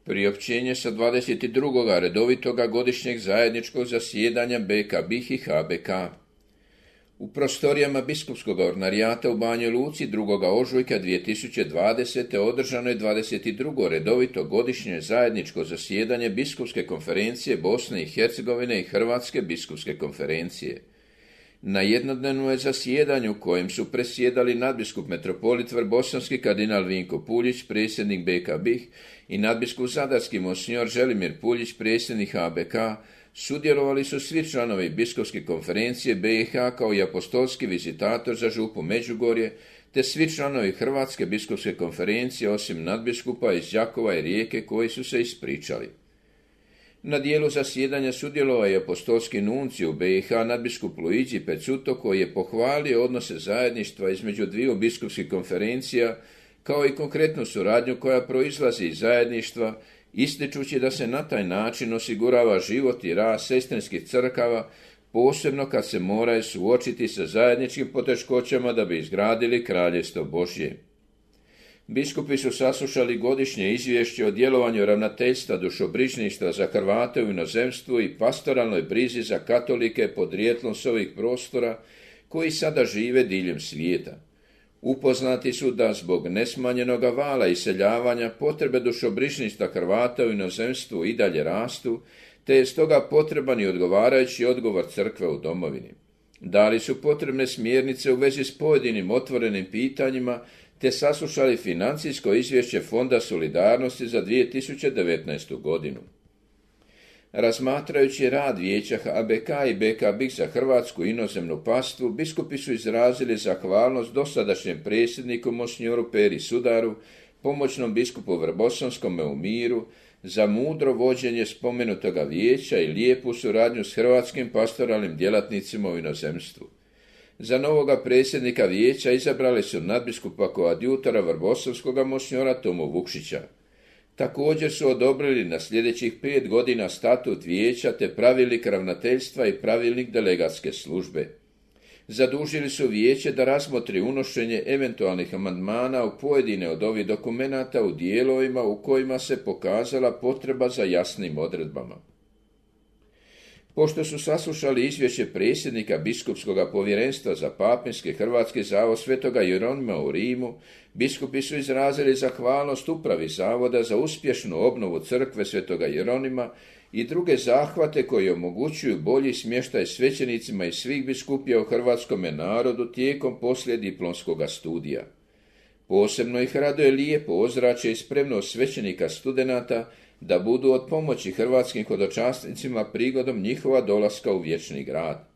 Priopćenje sa 22. redovitoga godišnjeg zajedničkog zasjedanja BK BiH i HBK. U prostorijama biskupskog ordinarijata u Banjoj Luci 2. ožujka 2020. održano je 22. redovito godišnje zajedničko zasjedanje Biskupske konferencije Bosne i Hercegovine i Hrvatske biskupske konferencije. Na jednodnevnom je zasjedanju kojem su presjedali nadbiskup metropolit Vrbosanski kardinal Vinko Puljić, predsjednik BK BiH, i nadbiskup zadarski monsignor Želimir Puljić, predsjednik HBK, sudjelovali su svi članovi biskupske konferencije BiH kao i apostolski vizitator za župu Međugorje, te svi članovi Hrvatske biskupske konferencije osim nadbiskupa iz Đakova i Rijeke koji su se ispričali. Na dijelu zasjedanja sudjelovao je apostolski nuncij u BiH nadbiskup Luigi Pezzuto koji je pohvalio odnose zajedništva između dviju biskupskih konferencija kao i konkretnu suradnju koja proizlazi iz zajedništva, ističući da se na taj način osigurava život i rad sestrinskih crkava, posebno kad se moraju suočiti sa zajedničkim poteškoćama da bi izgradili kraljevstvo Božje. Biskupi su saslušali godišnje izvješće o djelovanju ravnateljstva dušobrižništva za Hrvate u inozemstvu i pastoralnoj brizi za katolike podrijetlom s ovih prostora koji sada žive diljem svijeta. Upoznati su da zbog nesmanjenog vala iseljavanja potrebe dušobrižništva Hrvata u inozemstvu i dalje rastu, te je stoga potreban i odgovarajući odgovor crkve u domovini. Dali su potrebne smjernice u vezi s pojedinim otvorenim pitanjima, te saslušali financijsko izvješće Fonda solidarnosti za 2019. godinu. Razmatrajući rad vijeća HBK i BK BiH za hrvatsku inozemnu pastvu, biskupi su izrazili zahvalnost dosadašnjem predsjedniku monsinjoru Peri Sudaru, pomoćnom biskupu Vrbosanskome u Miru, za mudro vođenje spomenutoga vijeća i lijepu suradnju s hrvatskim pastoralnim djelatnicima u inozemstvu. Za novoga predsjednika vijeća izabrali su nadbiskupa koadjutora Vrbosanskoga monsinjora Tomu Vukšića. Također su odobrili na sljedećih 5 godina statut vijeća te pravilnik ravnateljstva i pravilnik delegatske službe. Zadužili su vijeće da razmotri unošenje eventualnih amandmana u pojedine od ovih dokumenata u dijelovima u kojima se pokazala potreba za jasnim odredbama. Pošto su saslušali izvješće predsjednika biskupskog povjerenstva za papinski hrvatski zavod Svetoga Jeronima u Rimu, biskupi su izrazili zahvalnost upravi zavoda za uspješnu obnovu crkve Svetoga Jeronima i druge zahvate koji omogućuju bolji smještaj svećenicima i svih biskupija u hrvatskome narodu tijekom poslijediplomskog studija. Posebno ih raduje lijepo ozračje i spremnost svećenika studenata da budu od pomoći hrvatskim hodočasnicima prigodom njihova dolaska u vječni grad.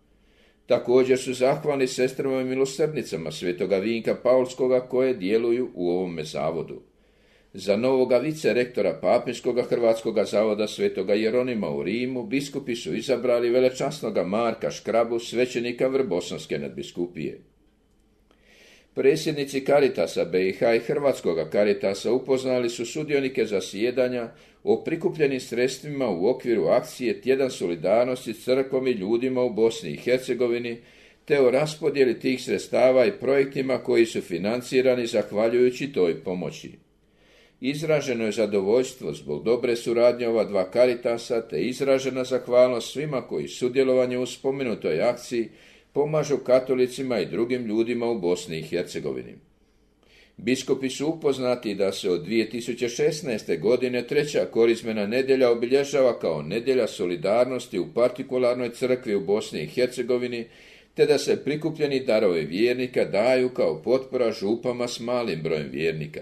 Također su zahvalni sestrama i milosrdnicama Svetoga Vinka Paulskoga koje djeluju u ovome zavodu. Za novoga vicerektora Papinskoga hrvatskoga zavoda Svetoga Jeronima u Rimu biskupi su izabrali velečasnoga Marka Škrabu, svećenika Vrbosanske nadbiskupije. Predsjednici Karitasa BiH i Hrvatskoga Karitasa upoznali su sudionike zasjedanja o prikupljenim sredstvima u okviru akcije Tjedan solidarnosti s crkvom i ljudima u Bosni i Hercegovini, te o raspodjeli tih sredstava i projektima koji su financirani zahvaljujući toj pomoći. Izraženo je zadovoljstvo zbog dobre suradnje ova dva Karitasa, te izražena zahvalnost svima koji sudjelovanje u spomenutoj akciji pomažu katolicima i drugim ljudima u Bosni i Hercegovini. Biskupi su upoznati da se od 2016. godine 3. korizmena nedjelja obilježava kao nedjelja solidarnosti u partikularnoj crkvi u Bosni i Hercegovini, te da se prikupljeni darovi vjernika daju kao potpora župama s malim brojem vjernika.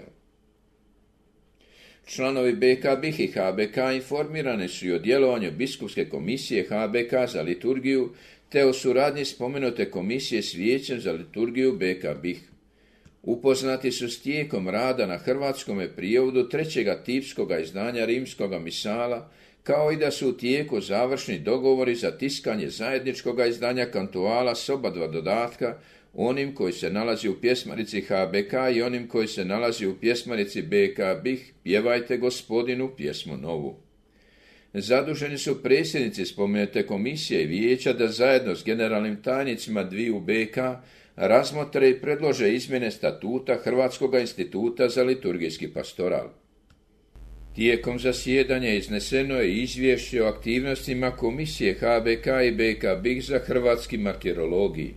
Članovi BK BiH i HBK informirani su i o djelovanju biskupske komisije HBK za liturgiju, te o suradnji spomenute komisije s vijećem za liturgiju BK BiH. Upoznati su s tijekom rada na hrvatskome prijevodu 3. tipskoga izdanja rimskoga misala, kao i da su u tijeku završni dogovori za tiskanje zajedničkoga izdanja kantuala s oba dva dodatka, onim koji se nalazi u pjesmarici HBK i onim koji se nalazi u pjesmarici BK BiH, Pjevajte Gospodinu pjesmu novu. Zaduženi su predsjednici spomenute komisije i vijeća da zajedno s generalnim tajnicima dviju BK razmotre i predlože izmjene statuta Hrvatskoga instituta za liturgijski pastoral. Tijekom zasjedanja izneseno je izvješće o aktivnostima Komisije HBK i BK BiH za hrvatski martirologiji.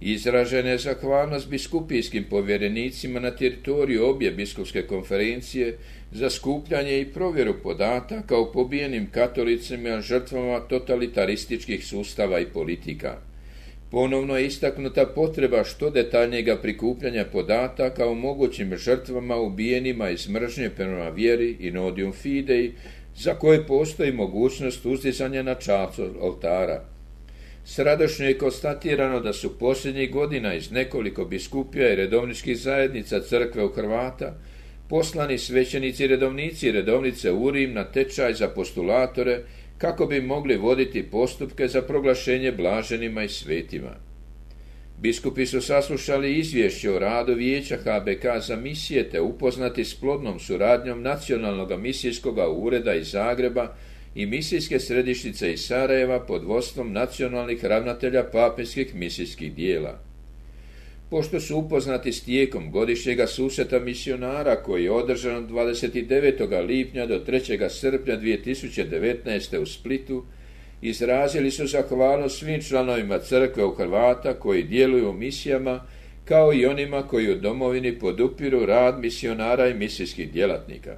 Izražena je zahvalnost biskupijskim povjerenicima na teritoriju obje biskupske konferencije za skupljanje i provjeru podataka o pobijenim katolicima žrtvama totalitarističkih sustava i politika. Ponovno je istaknuta potreba što detaljnijega prikupljanja podataka o mogućim žrtvama ubijenima iz mržnje prema vjeri in odium fidei, za koje postoji mogućnost uzdizanja na čacu oltara. Sradošnje je konstatirano da su posljednjih godina iz nekoliko biskupija i redovničkih zajednica crkve u Hrvata poslani svećenici, redovnici i redovnice u Rim na tečaj za postulatore kako bi mogli voditi postupke za proglašenje blaženima i svetima. Biskupi su saslušali izvješće o radu Vijeća HBK za misije te upoznati s plodnom suradnjom Nacionalnog misijskog ureda iz Zagreba i misijske središnjice iz Sarajeva pod vodstvom nacionalnih ravnatelja papinskih misijskih dijela. Pošto su upoznati s tijekom godišnjega susreta misionara koji je održan od 29. lipnja do 3. srpnja 2019. u Splitu, izrazili su zahvalnost svim članovima crkve u Hrvata koji djeluju u misijama, kao i onima koji u domovini podupiru rad misionara i misijskih djelatnika.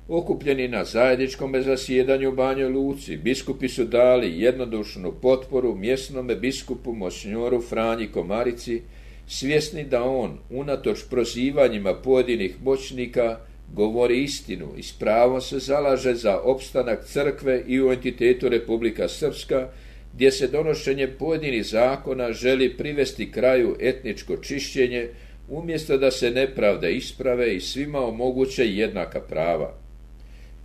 Okupljeni na zajedničkom zasjedanju u Banjoj Luci, biskupi su dali jednodušnu potporu mjesnome biskupu monsinjoru Franji Komarici, svjesni da on, unatoč prozivanjima pojedinih moćnika, govori istinu i s pravom se zalaže za opstanak crkve i u entitetu Republika Srpska, gdje se donošenje pojedinih zakona želi privesti kraju etničko čišćenje, umjesto da se nepravde isprave i svima omoguće jednaka prava.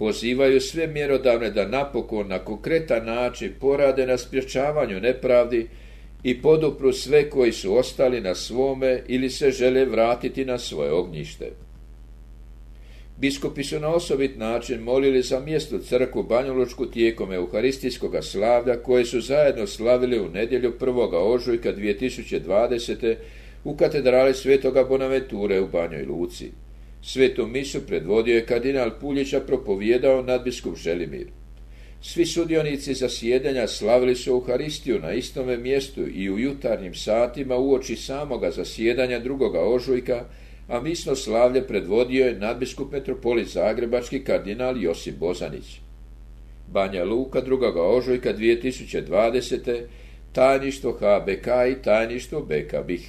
Pozivaju sve mjerodavne da napokon na konkretan način porade na sprječavanju nepravdi i podupru sve koji su ostali na svome ili se žele vratiti na svoje ognjište. Biskupi su na osobit način molili za mjesto crkvu Banjalučku tijekom euharistijskog slavlja koje su zajedno slavili u nedjelju 1. ožujka 2020. u katedrali Svetoga Bonaventure u Banjoj Luci. Svetu misu predvodio je kardinal Puljića, propovijedao nadbiskup Želimir. Svi sudionici zasjedanja slavili su Euharistiju na istome mjestu i u jutarnjim satima uoči samoga zasjedanja 2. ožujka, a misno slavlje predvodio je nadbiskup metropolit zagrebački kardinal Josip Bozanić. Banja Luka 2. ožujka 2020. tajništvo HBK i tajništvo BK BiH.